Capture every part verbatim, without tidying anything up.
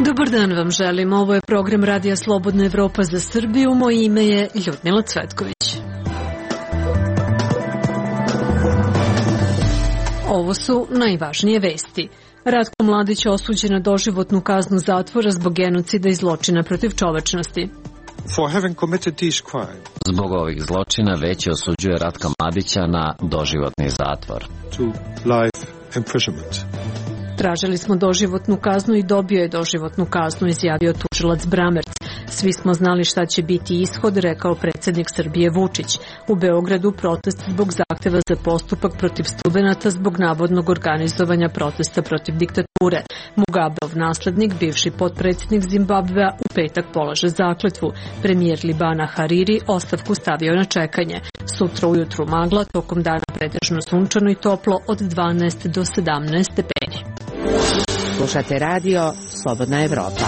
Dobar dan vam želim. Ovo je program Radija Slobodna Evropa za Srbiju. Moje ime je Ljudmila Cvetković. Ovo su najvažnije vesti. Ratko Mladić osuđen na doživotnu kaznu zatvora zbog genocida i zločina protiv čovečnosti. Zbog ovih zločina Veće osuđuje Ratka Mladića na doživotni zatvor. Tražili smo doživotnu kaznu i dobio je doživotnu kaznu, izjavio tužilac Bramerc. Svi smo znali šta će biti ishod, rekao predsjednik Srbije Vučić. U Beogradu protest zbog zahteva za postupak protiv studenata zbog navodnog organizovanja protesta protiv diktature. Mugabeov naslednik, bivši potpredsjednik Zimbabvea, u petak polaže zakletvu. Premijer Libana Hariri ostavku stavio na čekanje. Sutra ujutru magla, tokom dana pretežno sunčano i toplo od dvanaest do sedamnaest stepeni. Slušate radio Slobodna Evropa.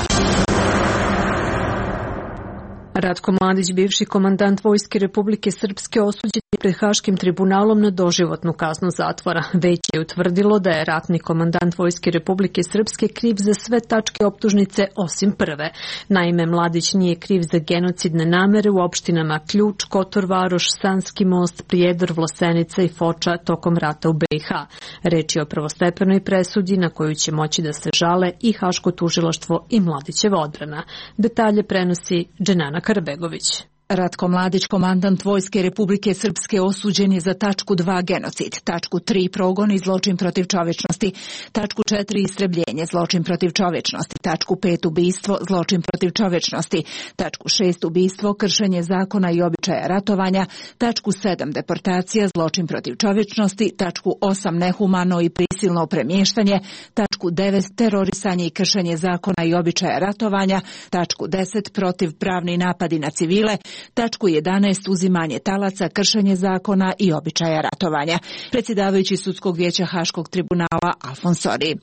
Ratko Mladić, bivši komandant Vojske Republike Srpske, osuđen je pred Haškim tribunalom na doživotnu kaznu zatvora. Veće je utvrdilo da je ratni komandant Vojske Republike Srpske kriv za sve tačke optužnice osim prve. Naime, Mladić nije kriv za genocidne namere u opštinama Ključ, Kotor Varoš, Sanski most, Prijedor, Vlasenica i Foča tokom rata u B i H. Reč je o prvostepenoj presudi na koju će moći da se žale i Haško tužilaštvo i Mladićeva odbrana. Detalje prenosi Dženana Karabegović. Ratko Mladić, komandant Vojske Republike Srpske, osuđen je za tačku dva genocid, tačku tri progon i zločin protiv čovečnosti, tačku četiri istrebljenje, zločin protiv čovečnosti, tačku pet ubistvo, zločin protiv čovečnosti, tačku šest ubistvo, kršenje zakona i običaja ratovanja, tačku sedam deportacija, zločin protiv čovečnosti, tačku osam nehumano i prisilno premještanje, tačku devet terorisanje i kršenje zakona i običaja ratovanja, tačku deset protiv pravni napadi na civile, tačku jedanaest uzimanje talaca, kršenje zakona i običaja ratovanja. Predsjedavajući sudskog vijeća Haškog tribunala Alfons Sori.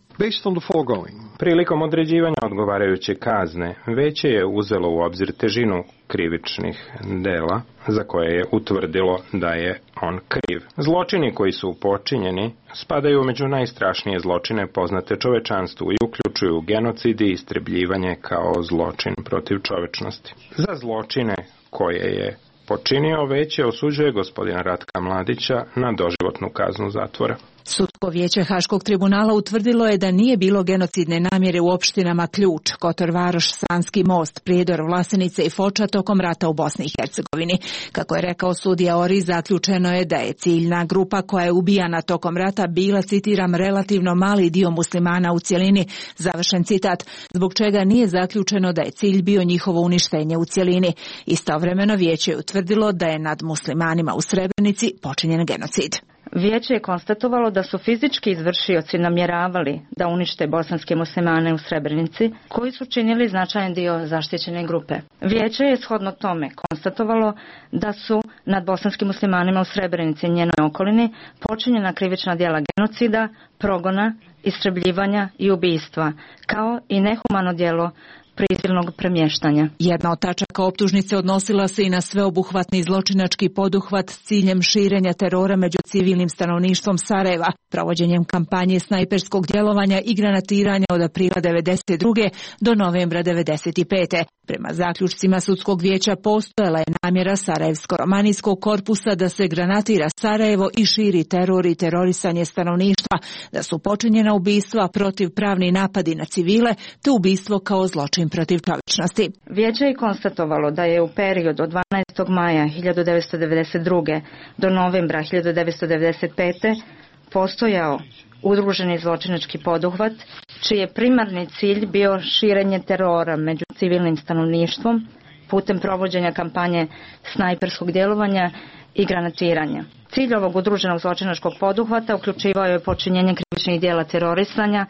Prilikom određivanja odgovarajuće kazne, Veće je uzelo u obzir težinu krivičnih dela za koje je utvrdilo da je on kriv. Zločini koji su počinjeni spadaju među najstrašnije zločine poznate čovečanstvu i uključuju genocid i istrebljivanje kao zločin protiv čovečnosti. Za zločine koje je počinio Veće osuđuje gospodina Ratka Mladića na doživotnu kaznu zatvora. Sudsko vijeće Haškog tribunala utvrdilo je da nije bilo genocidne namjere u opštinama Ključ, Kotor Varoš, Sanski most, Prijedor, Vlasenice i Foča tokom rata u Bosni i Hercegovini. Kako je rekao sudija Ori, zaključeno je da je ciljna grupa koja je ubijana tokom rata bila, citiram, relativno mali dio muslimana u cjelini, završen citat, zbog čega nije zaključeno da je cilj bio njihovo uništenje u cjelini. Istovremeno vijeće je utvrdilo da je nad muslimanima u Srebrenici počinjen genocid. Vijeće je konstatovalo da su fizički izvršioci namjeravali da unište bosanske muslimane u Srebrenici, koji su činili značajan dio zaštićene grupe. Vijeće je shodno tome konstatovalo da su nad bosanskim muslimanima u Srebrenici i njenoj okolini počinjena krivična djela genocida, progona, istrebljivanja i ubistva, kao i nehumano djelo prisilnog premještanja. Jedna od tačaka optužnice odnosila se i na sveobuhvatni zločinački poduhvat s ciljem širenja terora među civilnim stanovništvom Sarajeva, provođenjem kampanje snajperskog djelovanja i granatiranja od aprila devedeset druge do novembra devedeset pete. Prema zaključcima sudskog vijeća postojala je namjera Sarajevsko-romanijskog korpusa da se granatira Sarajevo i širi teror i terorisanje stanovništva, da su počinjena ubistva, protiv pravni napadi na civile, te ubistvo kao zločin protiv čovječnosti. Vijeće je konstatovalo da je u periodu od dvanaestog maja hiljadu devetsto devedeset druge do novembra hiljadu devetsto devedeset pete postojao udruženi zločinački poduhvat, čiji je primarni cilj bio širenje terora među civilnim stanovništvom putem provođenja kampanje snajperskog djelovanja i granatiranja. Cilj ovog udruženog zločinačkog poduhvata uključivao je počinjenje krivičnih djela terorisanja,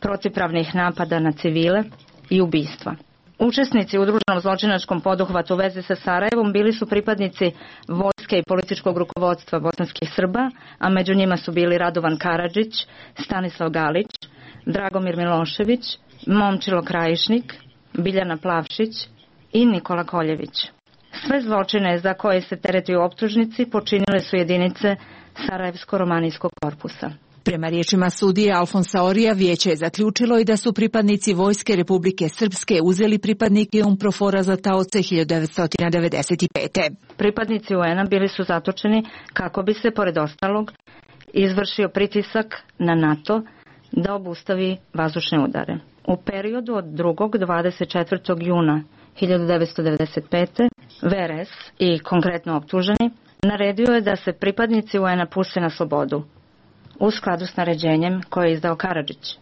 protivpravnih napada na civile i ubistva. Učesnici u udruženom zločinačkom poduhvatu u vezi sa Sarajevom bili su pripadnici vojske i političkog rukovodstva bosanskih Srba, a među njima su bili Radovan Karadžić, Stanislav Galić, Dragomir Milošević, Momčilo Krajišnik, Biljana Plavšić i Nikola Koljević. Sve zločine za koje se tereti u optužnici počinile su jedinice Sarajevsko-romanijskog korpusa. Prema riječima sudije Alfonsa Orija, vijeće je zaključilo i da su pripadnici Vojske Republike Srpske uzeli pripadnike UNPROFOR-a za taoce hiljadu devetsto devedeset pete. Pripadnici U N-a bili su zatočeni kako bi se, pored ostalog, izvršio pritisak na NATO da obustavi vazdušne udare. U periodu od drugog do dvadeset četvrtog juna hiljadu devetsto devedeset pete. V R S i konkretno optuženi naredio je da se pripadnici U N-a puste na slobodu u skladu s naređenjem koje je izdao Karadžić.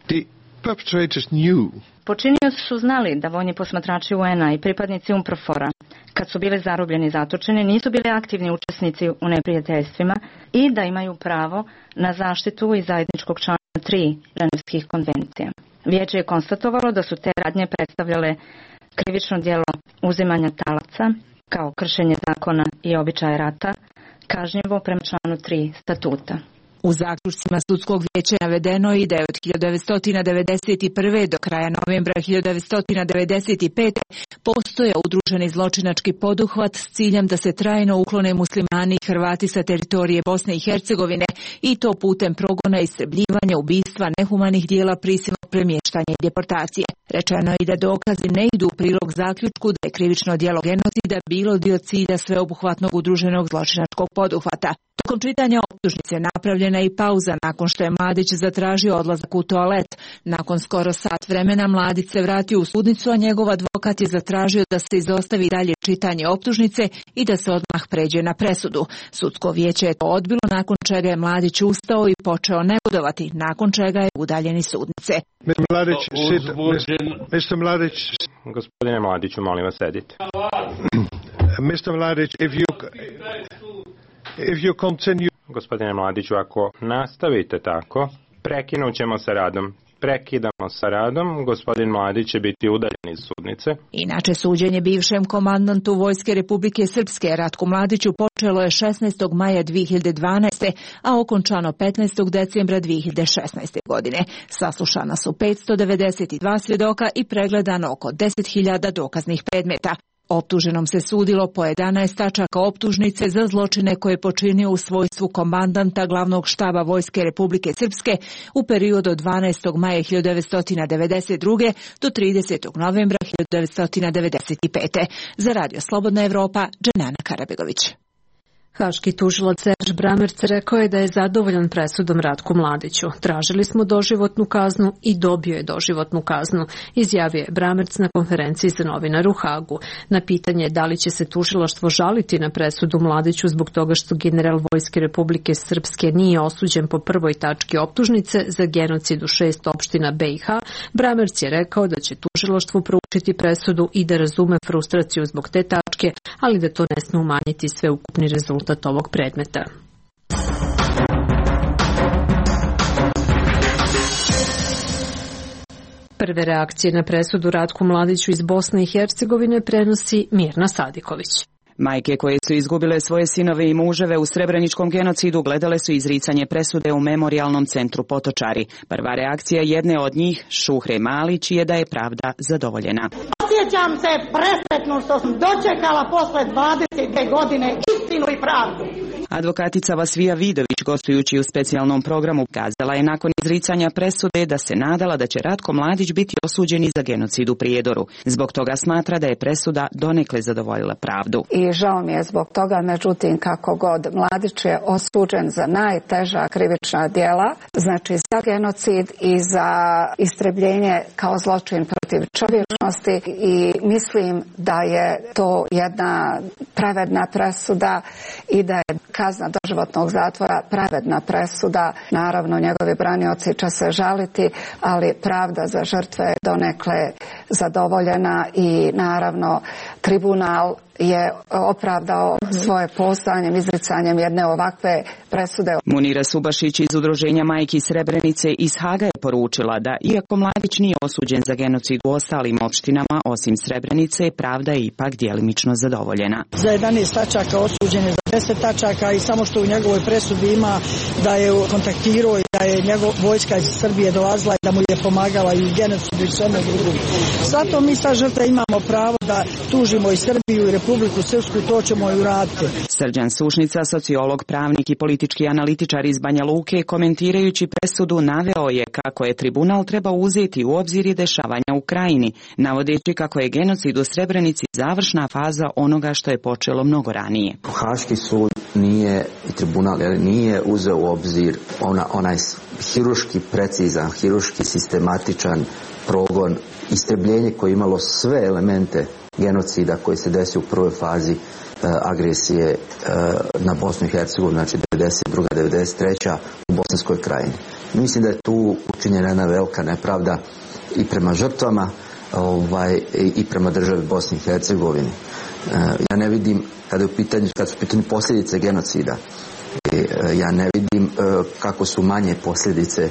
Počinioci su znali da vojni posmatrači U N-a i pripadnici UNPROFOR-a, kad su bili zarobljeni i zatočeni, nisu bili aktivni učesnici u neprijateljstvima i da imaju pravo na zaštitu iz zajedničkog člana tri Ženevskih konvencija. Vijeće je konstatovalo da su te radnje predstavljale krivično djelo uzimanja talaca kao kršenje zakona i običaja rata, kažnjivo prema članu tri statuta. U zaključcima sudskog vijeća navedeno je da je od hiljadu devetsto devedeset prve. do kraja novembra hiljadu devetsto devedeset pete. postojao udruženi zločinački poduhvat s ciljem da se trajno uklone muslimani i Hrvati sa teritorije Bosne i Hercegovine i to putem progona, istrebljivanja, ubistva, nehumanih dijela, prisilnog premještanja i deportacije. Rečeno je i da dokazi ne idu u prilog zaključku da je krivično djelo genocida bilo dio cilja sveobuhvatnog udruženog zločinačkog poduhvata. Tokom čitanja optužnice napravljena je i pauza nakon što je Mladić zatražio odlazak u toalet. Nakon skoro sat vremena Mladić se vratio u sudnicu, a njegov advokat je zatražio da se izostavi dalje čitanje optužnice i da se odmah pređe na presudu. Sudsko vijeće je to odbilo, nakon čega je Mladić ustao i počeo negodovati, nakon čega je udaljen iz sudnice. Mladić, mister Mladić, gospodine Mladiću, molim vas, sedite. mister Mladić, if you if you continue... Gospodine Mladiću, ako nastavite tako, prekinut ćemo sa radom. Prekidamo sa radom, gospodin Mladić će biti udaljen iz sudnice. Inače, suđenje bivšem komandantu Vojske Republike Srpske Ratku Mladiću počelo je šesnaestog maja dve hiljade dvanaeste. a okončano petnaestog decembra dve hiljade šesnaeste. godine. Saslušana su petsto devedeset dva svjedoka i pregledano oko deset hiljada dokaznih predmeta. Optuženom se sudilo po jedanaest tačaka optužnice za zločine koje je počinio u svojstvu komandanta glavnog štaba Vojske Republike Srpske u periodu od dvanaestog maja hiljadu devetsto devedeset druge. do tridesetog novembra hiljadu devetsto devedeset pete. Za Radio Slobodna Evropa, Dženana Karabegović. Haški tužilac Serž Bramerc rekao je da je zadovoljan presudom Ratku Mladiću. Tražili smo doživotnu kaznu i dobio je doživotnu kaznu, izjavio je Bramerc na konferenciji za novinare u Hagu. Na pitanje da li će se tužilaštvo žaliti na presudu Mladiću zbog toga što general Vojske Republike Srpske nije osuđen po prvoj tački optužnice za genocid u šest opština B i H, Bramerc je rekao da će tužilaštvo proučiti presudu i da razume frustraciju zbog te tačke, ali da to ne sme umanjiti sveukupni rezultat ovog predmeta. Prve reakcije na presudu Ratku Mladiću iz Bosne i Hercegovine prenosi Mirna Sadiković. Majke koje su izgubile svoje sinove i muževe u srebreničkom genocidu gledale su izricanje presude u memorijalnom centru Potočari. Prva reakcija jedne od njih, Šuhre Malić, je da je pravda zadovoljena. Osjećam se presretno što sam dočekala posle dvadeset dve godine istinu i pravdu. Advokatica Vasvija Vidović, gostujući u specijalnom programu, kazala je nakon izricanja presude da se nadala da će Ratko Mladić biti osuđen za genocid u Prijedoru. Zbog toga smatra da je presuda donekle zadovoljila pravdu. I žao mi je zbog toga, međutim, kako god, Mladić je osuđen za najteža krivična djela, znači za genocid i za istrebljenje kao zločin protiv čovječnosti, i mislim da je to jedna pravedna presuda i da je kazna doživotnog zatvora pravedna presuda. Naravno, njegovi branioci će se žaliti, ali pravda za žrtve je donekle zadovoljena i naravno tribunal je opravdao svoje postojanjem, izricanjem jedne ovakve presude. Munira Subašić iz Udruženja Majki Srebrenice iz Haga je poručila da iako Mladić nije osuđen za genocid u ostalim opštinama osim Srebrenice, pravda je ipak djelimično zadovoljena. Za jedanaest tačaka osuđen je za deset tačaka i samo što u njegovoj presudi ima da je kontaktirao i da je njegov vojska iz Srbije dolazila i da mu je pomagala i u genocidu i sveme drugom. Zato mi sa žrtve imamo pravo da tužimo i Srbiju i Republiku Srpsku, to ćemo i uraditi. Srđan Sušnica, sociolog, pravnik i politički analitičar iz Banja Luke, komentirajući presudu naveo je kako je tribunal trebao uzeti u obzir i dešavanja u Krajini, navodeći kako je genocid u Srebrenici završna faza onoga što je počelo mnogo ranije. Haški sud nije i tribunal nije uzeo u obzir ona, onaj hiruški precizan, hiruški sistematičan progon, istrebljenje koje je imalo sve elemente genocida koji se desio u prvoj fazi e, agresije e, na Bosnu i Hercegovinu, znači devedeset druga devedeset treća u Bosanskoj Krajini. Mislim da je tu učinjena jedna velika nepravda i prema žrtvama ovaj, i prema državi Bosni i Hercegovini. E, ja ne vidim, kada, je u pitanju, kada su u pitanju posljedice genocida, ja ne vidim kako su manje posljedice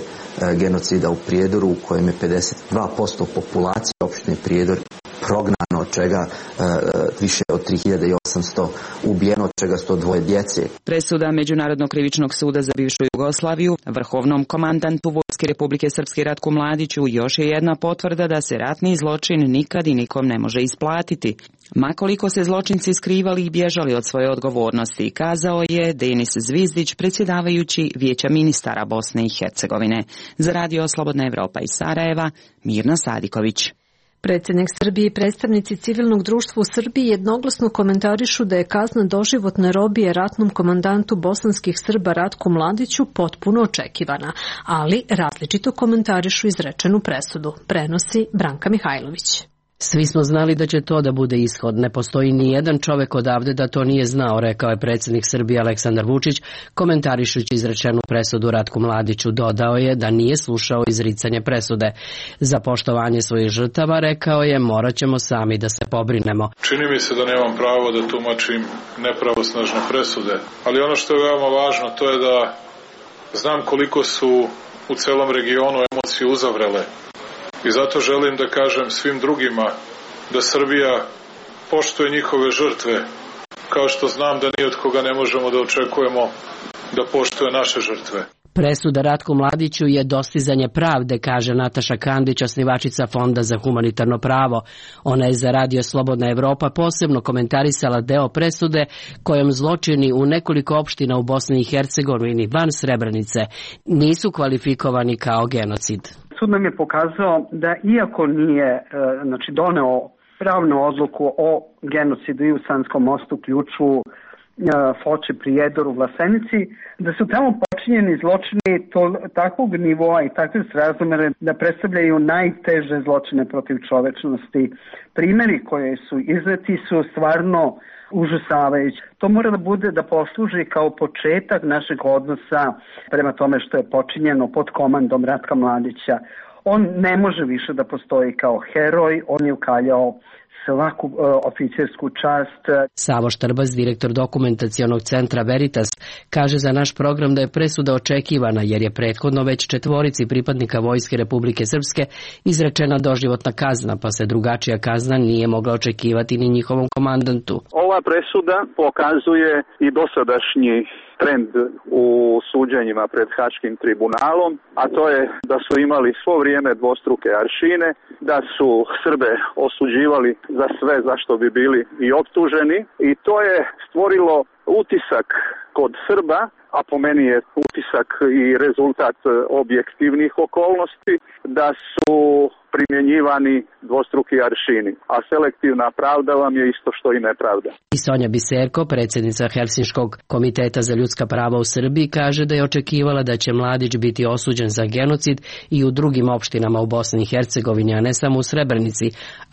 genocida u Prijedoru u kojem je pedeset dva posto populacije opštine Prijedor prognano, od čega više od tri hiljade osamsto ubijeno, od čega sto dvoje djece. Presuda Međunarodnog krivičnog suda za bivšu Jugoslaviju vrhovnom komandantu Vojske Republike Srpske Ratku Mladiću još je jedna potvrda da se ratni zločin nikad i nikom ne može isplatiti. Ma koliko se zločinci skrivali i bježali od svoje odgovornosti, kazao je Denis Zvizdić, predsjedavajući Vijeća ministara Bosne i Hercegovine. Za Radio Slobodna Evropa iz Sarajeva, Mirna Sadiković. Predsjednik Srbije i predstavnici civilnog društva u Srbiji jednoglasno komentarišu da je kazna doživotne robije ratnom komandantu bosanskih Srba Ratku Mladiću potpuno očekivana, ali različito komentarišu izrečenu presudu, prenosi Branka Mihajlović. Svi smo znali da će to da bude ishod. Ne postoji ni jedan čovek odavde da to nije znao, rekao je predsjednik Srbije Aleksandar Vučić, komentarišući izrečenu presudu Ratku Mladiću. Dodao je da nije slušao izricanje presude. Za poštovanje svojih žrtava, rekao je, morat ćemo sami da se pobrinemo. Čini mi se da nemam pravo da tumačim nepravosnažne presude, ali ono što je veoma važno to je da znam koliko su u celom regionu emocije uzavrele. I zato želim da kažem svim drugima da Srbija poštuje njihove žrtve, kao što znam da ni od koga ne možemo da očekujemo da poštuje naše žrtve. Presuda Ratku Mladiću je dostizanje pravde, kaže Nataša Kandić, osnivačica Fonda za humanitarno pravo. Ona je za Radio Slobodna Evropa posebno komentarisala deo presude kojom zločini u nekoliko opština u Bosni i Hercegovini van Srebrenice nisu kvalifikovani kao genocid. Sud nam je pokazao da iako nije znači, doneo pravnu odluku o genocidu i u Sanskom mostu, Ključu, Foči, Prijedoru, Vlasenici, da su tamo počinjeni zločini to, takvog nivoa i takve srazmere da predstavljaju najteže zločine protiv čovečnosti. Primjeri koje su izneti su stvarno užasavajući. To mora da bude da posluži kao početak našeg odnosa prema tome što je počinjeno pod komandom Ratka Mladića. On ne može više da postoji kao heroj, on je ukaljao svaku uh, oficersku čast. Savo Štrbas, direktor dokumentacionog centra Veritas, kaže za naš program da je presuda očekivana jer je prethodno već četvorici pripadnika Vojske Republike Srpske izrečena doživotna kazna, pa se drugačija kazna nije mogla očekivati ni njihovom komandantu. Ova presuda pokazuje i dosadašnji trend u suđenjima pred Haškim tribunalom, a to je da su imali svo vrijeme dvostruke aršine, da su Srbe osuđivali za sve za što bi bili i optuženi i to je stvorilo utisak kod Srba, a po meni je utisak i rezultat objektivnih okolnosti, da su primjenjivani dvostruki aršini, a selektivna pravda vam je isto što i nepravda. I Sonja Biserko, predsjednica Helsinškog komiteta za ljudska prava u Srbiji, kaže da je očekivala da će Mladić biti osuđen za genocid i u drugim opštinama u Bosni i Hercegovini, a ne samo u Srebrenici,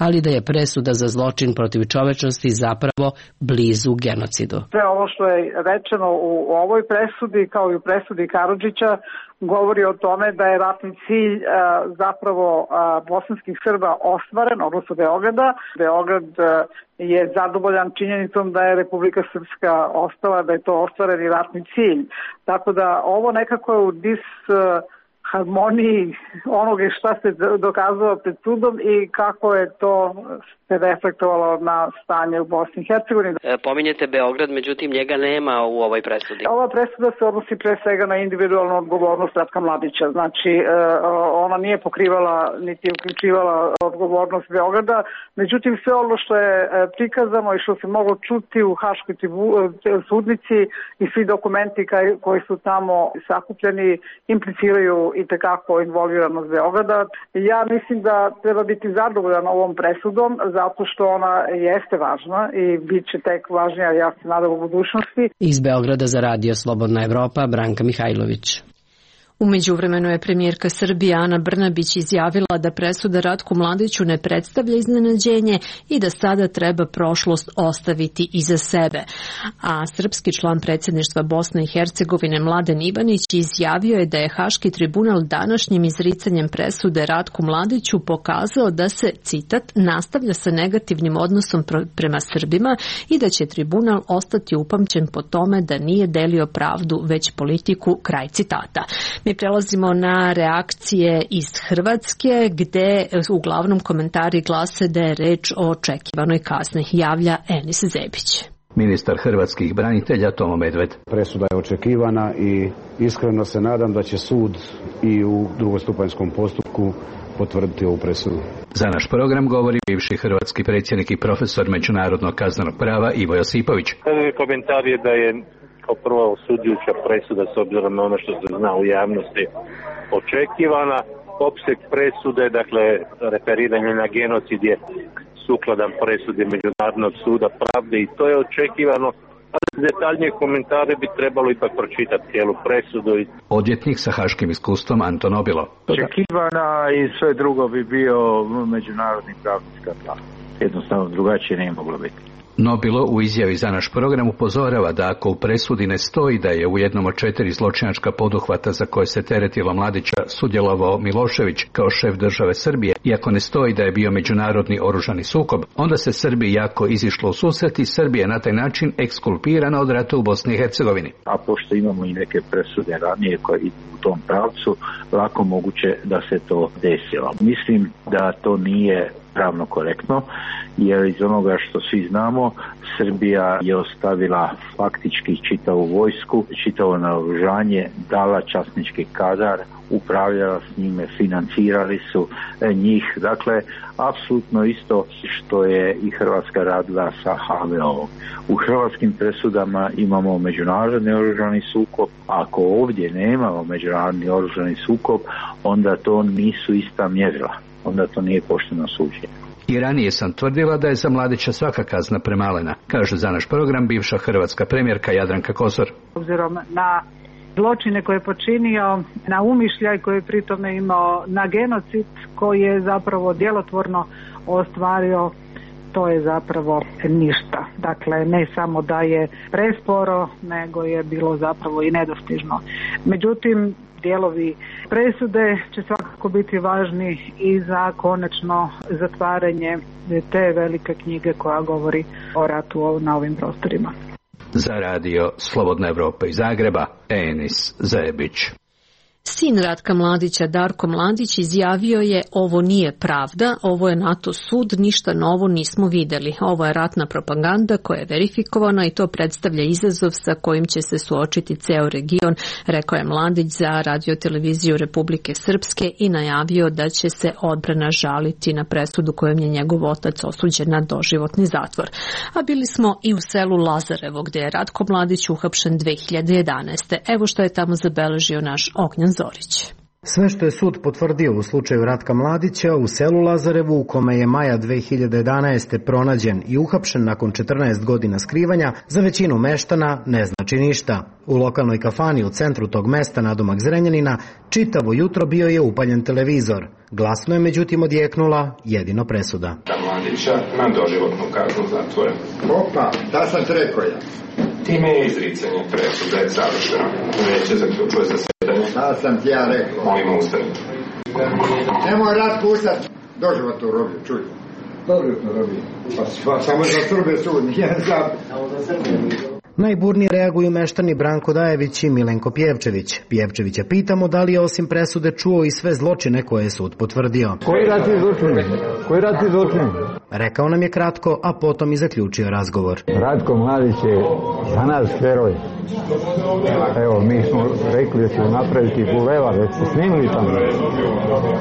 ali da je presuda za zločin protiv čovečnosti zapravo blizu genocidu. Sve ovo što je rečeno u ovoj presudi, kao i u presudi Karadžića, govori o tome da je ratni cilj a, zapravo a, bosanskih Srba ostvaren, odnosno Beograda. Beograd a, je zadovoljan činjenicom da je Republika Srpska ostala, da je to ostvareni ratni cilj. Tako da ovo nekako je u dis a, harmoniji onoga šta se dokazalo pred sudom i kako je to se reflektovalo na stanje u Bosni i Hercegovini. E, pominjete Beograd, međutim njega nema u ovoj presudi. Ova presuda se odnosi pre svega na individualnu odgovornost Ratka Mladića. Znači, e, ona nije pokrivala niti uključivala odgovornost Beograda. Međutim, sve ono što je prikazano i što se moglo čuti u Haškoj sudnici i svi dokumenti koji su tamo sakupljeni impliciraju i tekako involviranost Beograda. Ja mislim da treba biti zadovoljan ovom presudom zato što ona jeste važna i bit će tek važnija, ja se nadam, u budućnosti. Iz Beograda za Radio Slobodna Evropa, Branka Mihajlović. U međuvremenu je premijerka Srbije Ana Brnabić izjavila da presuda Ratku Mladiću ne predstavlja iznenađenje i da sada treba prošlost ostaviti iza sebe. A srpski član predsjedništva Bosne i Hercegovine Mladen Ivanić izjavio je da je Haški tribunal današnjim izricanjem presude Ratku Mladiću pokazao da se, citat, nastavlja sa negativnim odnosom prema Srbima i da će tribunal ostati upamćen po tome da nije delio pravdu već politiku, kraj citata. Mi prelazimo na reakcije iz Hrvatske, gde uglavnom komentari glase da je reč o očekivanoj kazni. Javlja Enis Zebić. Ministar hrvatskih branitelja Tomo Medved. Presuda je očekivana i iskreno se nadam da će sud i u drugostupanjskom postupku potvrditi ovu presudu. Za naš program govori bivši hrvatski predsjednik i profesor međunarodnog kaznenog prava Ivo Josipović. Komentar je da je kao prva osuđujuća presuda s obzirom na ono što se zna u javnosti očekivana. Opseg presude, dakle referiranje na genocid je sukladan presudi Međunarodnog suda pravde i to je očekivano. Ali detaljnije komentare bi trebalo ipak pročitati cijelu presudu. Odvjetnik sa haškim iskustvom Anton Obilo. Očekivana i sve drugo bi bio međunarodni pravni skandal. Jednostavno drugačije nije moglo biti. Nobilo u izjavi za naš program upozorava da ako u presudi ne stoji da je u jednom od četiri zločinačka poduhvata za koje se teretilo Mladića sudjelovao Milošević kao šef države Srbije, i ako ne stoji da je bio međunarodni oružani sukob, onda se Srbiji jako izišlo u susret i Srbija na taj način ekskulpirana od rata u Bosni i Hercegovini. A pošto imamo i neke presude ranije koje idu u tom pravcu, lako moguće da se to desilo. Mislim da to nije pravno korektno, jer iz onoga što svi znamo, Srbija je ostavila faktički čitavu vojsku, čitavo naoružanje, dala časnički kadar, upravljala s njime, financirali su njih. Dakle, apsolutno isto što je i Hrvatska radila sa ha ve o. U hrvatskim presudama imamo međunarodni oružani sukob. Ako ovdje nemamo međunarodni oružani sukob, onda to nisu ista mjerila. Onda to nije pošteno suđenje. I ranije sam tvrdila da je za Mladića svaka kazna premalena, kaže za naš program bivša hrvatska premijerka Jadranka Kosor. Obzirom na zločine koje je počinio, na umišljaj koji je pritome imao, na genocid koji je zapravo djelotvorno ostvario, to je zapravo ništa. Dakle, ne samo da je presporo, nego je bilo zapravo i nedostižno. Međutim, dijelovi presude će svakako biti važni i za konačno zatvaranje te velike knjige koja govori o ratu na ovim prostorima. Za radio Slobodna Evropa iz Zagreba, Enis Zebić. Sin Ratka Mladića, Darko Mladić, izjavio je: ovo nije pravda, ovo je NATO sud, ništa novo nismo vidjeli. Ovo je ratna propaganda koja je verifikovana i to predstavlja izazov sa kojim će se suočiti ceo region, rekao je Mladić za radioteleviziju Republike Srpske i najavio da će se odbrana žaliti na presudu kojom je njegov otac osuđen na doživotni zatvor. A bili smo i u selu Lazarevo, gdje je Ratko Mladić uhapšen dve hiljade jedanaeste. Evo što je tamo zabeležio naš Ognjan Zorić. Sve što je sud potvrdio u slučaju Ratka Mladića u selu Lazarevu, u kome je maja dve hiljade jedanaeste pronađen i uhapšen nakon četrnaest godina skrivanja, za većinu meštana ne znači ništa. U lokalnoj kafani u centru tog mesta nadomak Zrenjanina čitavo jutro bio je upaljen televizor. Glasno je međutim odjeknula jedino presuda. Mladića na doživotnu kaznu zatvora. Opa, da sam te rekao ja. Time je izricanje presude završeno. Veće zaključuje zasedanje. Da sam ti ja rekao. Molimo ustani. Nemoj Ratko ustati. Doživotnu robiju, čuj. Doživotnu robiju. Pa samo za Srbe sud, nije za... Najburnije reaguju meštani Branko Dajević i Milenko Pjevčević. Pjevčevića pitamo da li je osim presude čuo i sve zločine koje je sud potvrdio. Koji ratni zločini? Koji ratni zločini? Rekao nam je kratko, a potom i zaključio razgovor. Ratko Mladić je za nas heroj. Evo, mi smo rekli da ćemo napraviti bulevar, da ste snimili tamo.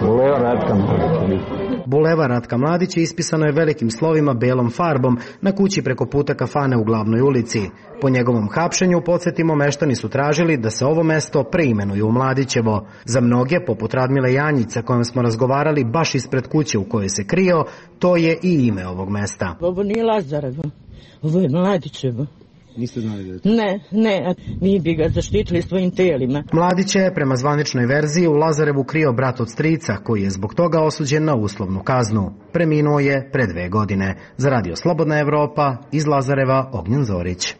Bulevar Ratka Mladića. Bulevar Ratka Mladića ispisano je velikim slovima belom farbom na kući preko puta kafane u Glavnoj ulici. Po njegovom hapšenju, podsjetimo, meštani su tražili da se ovo mesto preimenuje u Mladićevo. Za mnoge, poput Radmile Janjić sa kojom smo razgovarali baš ispred kuće u kojoj se krio, to je i ime ovog mesta. Ovo nije Lazarevo, ovo je Mladićevo. Niste znali da je to? Ne, ne, mi bi ga zaštitili svojim telima. Mladića je prema zvaničnoj verziji u Lazarevu krio brat od strica, koji je zbog toga osuđen na uslovnu kaznu. Preminuo je pre dve godine. Za Radio Slobodna Evropa, iz Lazareva, Ognjen Zorić.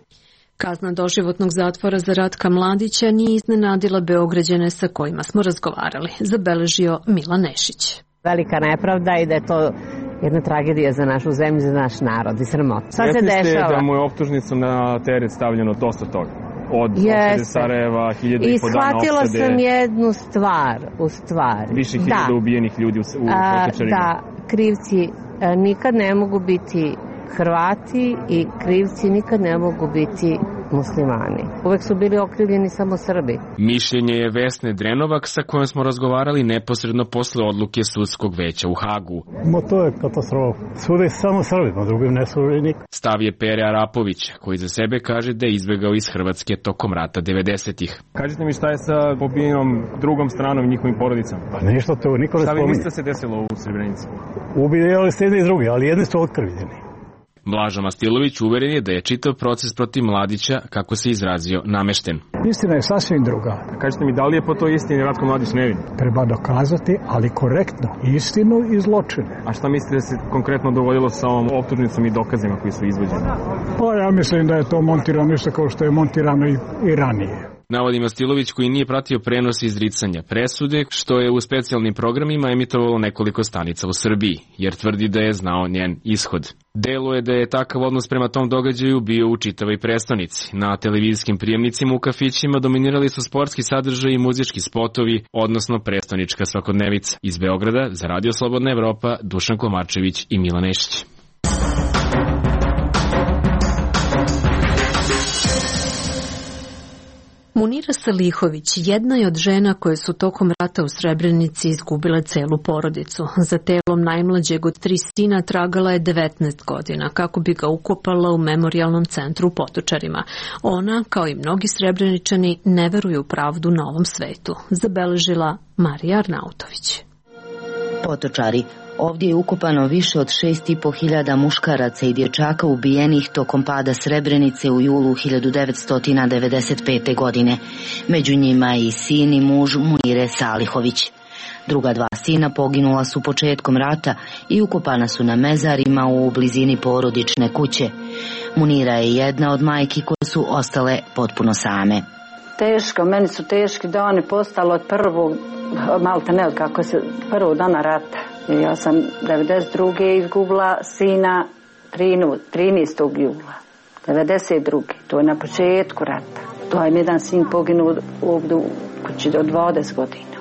Kazna doživotnog zatvora za Ratka Mladića nije iznenadila Beograđane sa kojima smo razgovarali, zabeležio Milan Nešić. Velika nepravda i da je to jedna tragedija za našu zemlju, za naš narod i sramota. Šta se dešava? Jeste da mu je optužnicom na teret stavljeno dosta toga? Od opštine Sarajeva, hiljada i po dana opštede. I shvatila sam jednu stvar, u stvari. Više hiljada ubijenih ljudi u Kočarima. Da, krivci nikad ne mogu biti Hrvati i krivci nikad ne mogu biti muslimani. Uvek su bili okrivljeni samo Srbi. Mišljenje je Vesne Drenovak sa kojom smo razgovarali neposredno posle odluke sudskog veća u Hagu. Ma to je katastrofa. Sude samo Srbima, drugim ne sude nikad. Stav je Pere Arapovića, koji za sebe kaže da je izbegao iz Hrvatske tokom rata devedesetih. Kažite mi šta je sa pobijenom drugom stranom i njihovim porodicama? Pa ništa to, niko ne spominje. Šta vi mislite se desilo u Srebrenici? Ubijali ste jedni i drugi, ali jedni su otkrivljeni. Blažo Mastilović uveren je da je čitav proces protiv Mladića, kako se izrazio, namešten. Istina je sasvim druga. Kažete mi, da li je po toj istini Ratko Mladić nevin? Treba dokazati, ali korektno, istinu i zločine. A šta mislite da se konkretno dogodilo sa ovom optužnicom i dokazima koji su izvođeni? Pa ja mislim da je to montirano isto kao što je montirano i, i ranije. Navodi Mastilović, koji nije pratio prenos izricanja presude, što je u specijalnim programima emitovalo nekoliko stanica u Srbiji, jer tvrdi da je znao njen ishod. Deluje da je takav odnos prema tom događaju bio u čitavoj prestonici. Na televizijskim prijemnicima u kafićima dominirali su sportski sadržaj i muzički spotovi, odnosno prestonička svakodnevica. Iz Beograda, za Radio Slobodna Evropa, Dušan Komarčević i Milan Nešić. Munira Salihović jedna je od žena koje su tokom rata u Srebrenici izgubile celu porodicu. Za telom najmlađeg od tri sina tragala je devetnaest godina kako bi ga ukopala u memorijalnom centru u Potočarima. Ona, kao i mnogi Srebreničani, ne veruju u pravdu na ovom svetu, zabeležila Marija Arnautović. Potočari. Ovdje je ukopano više od šest i po hiljada muškaraca i dječaka ubijenih tokom pada Srebrenice u julu hiljadu devetsto devedeset pete. godine. Među njima i sin i muž Munire Salihović. Druga dva sina poginula su početkom rata i ukopana su na mezarima u blizini porodične kuće. Munira je jedna od majki koje su ostale potpuno same. Teško, meni su teški dani postalo od prvog, malte ne, kako se prvog dana rata. Ja sam devedeset druge izgubila sina trinaestog jula. devedeset druge To je na početku rata. To je jedan sin poginuo ovdje u kući od dvadeset godina.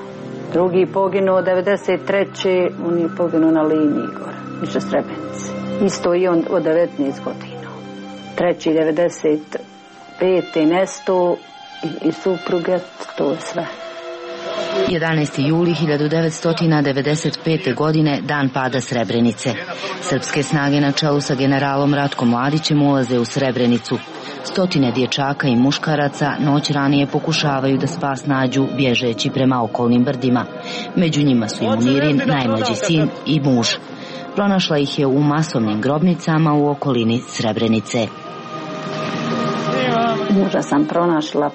Drugi poginuo devedeset treće On je poginuo na liniji gore, više Srebrenice. Isto i on od devetnaest godina. Treći devedeset pete nesto i, i supruge, to je sve. jedanaesti juli hiljadu devetsto devedeset pete. godine, dan pada Srebrenice. Srpske snage na čelu sa generalom Ratkom Mladićem ulaze u Srebrenicu. Stotine dječaka i muškaraca noć ranije pokušavaju da spas nađu bježeći prema okolnim brdima. Među njima su i Munirin, najmlađi sin i muž. Pronašla ih je u masovnim grobnicama u okolini Srebrenice. Muža sam pronašla,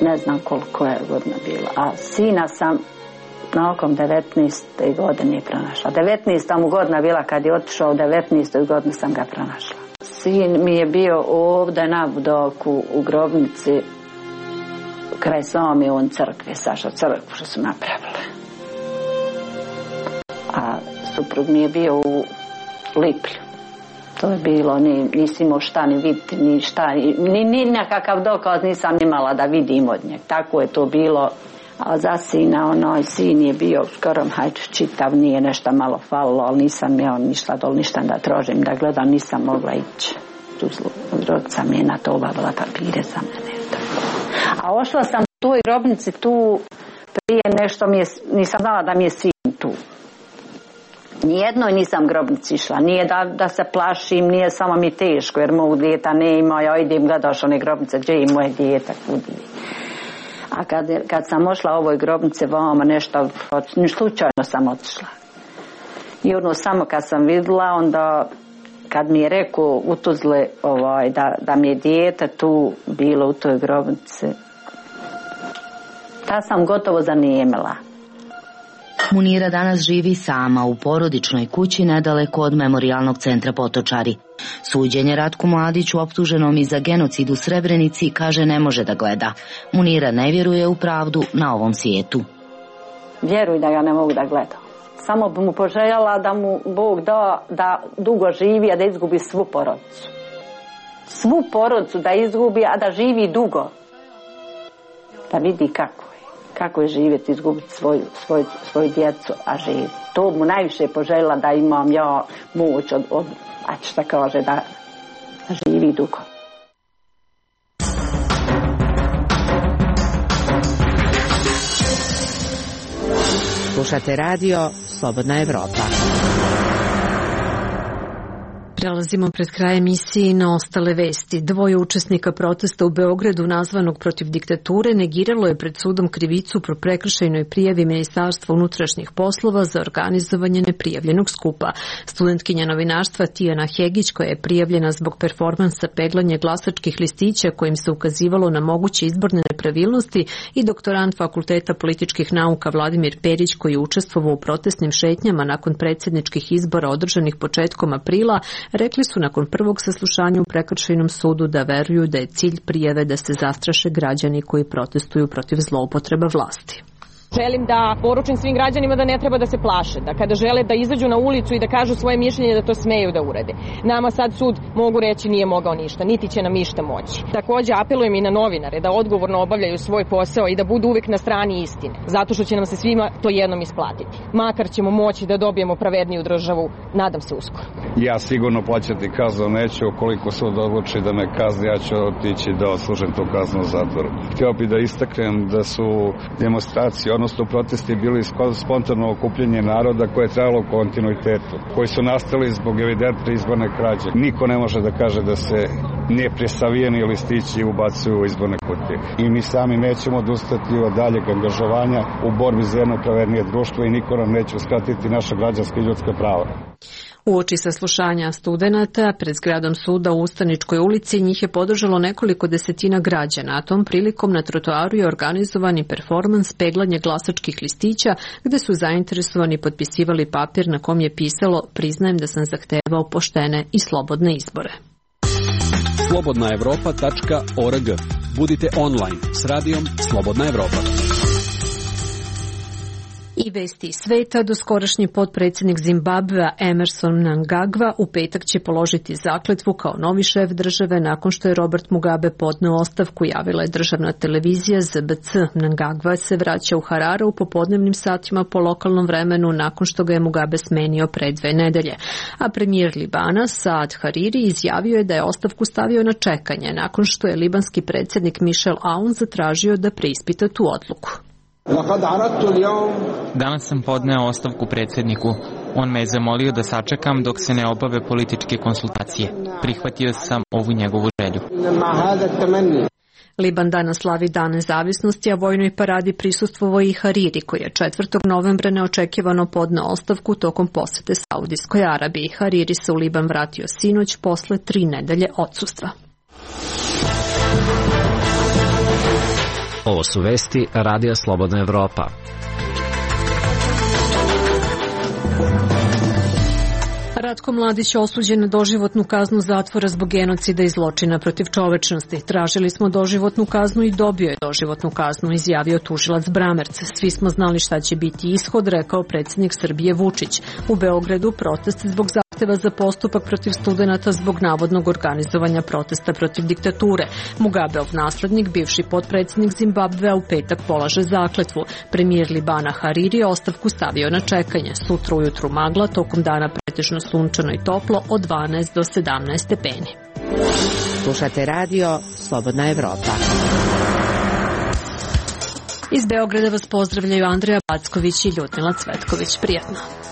ne znam koliko je godina bila, a sina sam naokom devetnaeste godine pronašla. devetnaesta mu godina bila kad je otišao, u devetnaestoj godini sam ga pronašla. Sin mi je bio ovdje na Budoku u grobnici kraj same on crkve, Saša crkvu što su napravile. A suprug mi je bio u Liplju. To je bilo, ni, nisi imao šta ni vidjeti, ni šta, ni, ni nekakav dokaz nisam imala da vidim od njeg. Tako je to bilo. A za sina, onaj sin je bio skoro hajde čitav, nije nešto malo falilo, ali nisam ja ništa dol, ništa da trožim, da gledam, nisam mogla ići. Tu rodca mi je na to obavila papire za mene. A ošla sam u toj grobnici tu prije nešto, mi je, nisam znala da mi je sin tu. Nijednoj nisam grobnici išla, nije da, da se plašim, nije samo mi teško, jer mog djeta ne ima, ja idem gledaš one grobnice, gdje je moje djeta, kudi. A kad, kad sam ošla ovoj grobnici vama nešto, slučajno sam otišla. I ono samo kad sam vidjela, onda kad mi je rekao u Tuzli ovaj, da, da mi je dijete tu bilo u toj grobnici, ta sam gotovo zanijemila. Munira danas živi sama u porodičnoj kući nedaleko od memorijalnog centra Potočari. Suđenje Ratku Mladiću, optuženom i za genocid u Srebrenici, kaže ne može da gleda. Munira ne vjeruje u pravdu na ovom svijetu. Vjeruj da ga ne mogu da gledam. Samo bi mu poželjala da mu Bog da, da dugo živi, a da izgubi svu porodicu. Svu porodicu da izgubi, a da živi dugo. Da vidi kako je. Kako je živjeti, izgubiti svoju, svoju, svoju djecu, a živi. To mu najviše poželjela da imam ja moć od, od a šta kaže, da, da živi dugo. Slušate radio Slobodna Evropa. Prelazimo pred kraj emisije na ostale vesti. Dvoje učesnika protesta u Beogradu nazvanog protiv diktature negiralo je pred sudom krivicu pro prekršajnoj prijavi Ministarstva unutrašnjih poslova za organizovanje neprijavljenog skupa. Studentkinja novinarstva Tijana Hegić, koja je prijavljena zbog performansa peglanja glasačkih listića kojim se ukazivalo na moguće izborne nepravilnosti, i doktorant Fakulteta političkih nauka Vladimir Perić, koji je učestvovao u protestnim šetnjama nakon predsjedničkih izbora održanih početkom aprila, rekli su nakon prvog saslušanja u prekršajnom sudu da veruju da je cilj prijave da se zastraše građani koji protestuju protiv zloupotreba vlasti. Želim da poručim svim građanima da ne treba da se plaše, da kada žele da izađu na ulicu i da kažu svoje mišljenje da to smeju da urade. Nama sad sud mogu reći nije mogao ništa, niti će nam ništa moći. Također apelujem i na novinare da odgovorno obavljaju svoj posao i da budu uvek na strani istine, zato što će nam se svima to jednom isplatiti. Makar ćemo moći da dobijemo pravedniju državu, nadam se uskoro. Ja sigurno plaćati kaznu neću, ukoliko sud odluči da me kazni, ja ću otići da odslužim tu kaznu u zatvoru. Htio bih da istaknem da su demonstracije, odnosno protesti bili spontano okupljanje naroda koje je trajalo u kontinuitetu, koji su nastali zbog evidentne izborne krađe. Niko ne može da kaže da se nepresavijeni listići ubacuju u izborne kutije. I mi sami nećemo odustati od daljeg angažovanja u borbi za jedno pravednije društvo i niko nam neće uskratiti naša građanska i ljudska prava. Uoči saslušanja studenata pred zgradom suda u Ustaničkoj ulici njih je podržalo nekoliko desetina građana, a tom prilikom na trotoaru je organizovani performans peglanje glasačkih listića, gde su zainteresovani potpisivali papir na kom je pisalo "Priznajem da sam zahtevao poštene i slobodne izbore". slobodna evropa tačka org. Budite online s radijom Slobodna Evropa. I vesti sveta, doskorašnji potpredsjednik Zimbabvea Emerson Mnangagwa u petak će položiti zakletvu kao novi šef države nakon što je Robert Mugabe podneo ostavku, javila je državna televizija Z B C. Mnangagwa se vraća u Harare u popodnevnim satima po lokalnom vremenu nakon što ga je Mugabe smenio pre dve nedelje. A premijer Libana Saad Hariri izjavio je da je ostavku stavio na čekanje nakon što je libanski predsjednik Michel Aoun zatražio da preispita tu odluku. Danas sam podneo ostavku predsjedniku. On me je zamolio da sačekam dok se ne obave političke konsultacije. Prihvatio sam ovu njegovu želju. Liban danas slavi Dan nezavisnosti, a vojnoj paradi prisustvovao i Hariri, koji je četvrtog novembra neočekivano podneo ostavku tokom posete Saudijskoj Arabiji. Hariri se u Liban vratio sinoć posle tri nedelje odsustva. Ovo su vesti Radija Slobodna Evropa. Ratko Mladić osuđen na doživotnu kaznu zatvora zbog genocida i zločina protiv čovečnosti. Tražili smo doživotnu kaznu i dobio je doživotnu kaznu, izjavio tužilac Bramerc. Svi smo znali šta će biti ishod, rekao predsjednik Srbije Vučić. U Beogradu protest zbog zahtjeva zahteva za postupak protiv studenata zbog navodnog organizovanja protesta protiv diktature. Mugabeov naslednik, bivši potpredsjednik Zimbabvea, u petak polaže zakletvu. Premijer Libana Hariri je ostavku stavio na čekanje. Sutra ujutru magla, tokom dana pretežno sunčano i toplo od dvanaest do sedamnaest stepeni. Slušate radio Slobodna Evropa. Iz Beograda vas pozdravljaju Andreja Backović i Ljudmila Cvetković. Prijatno.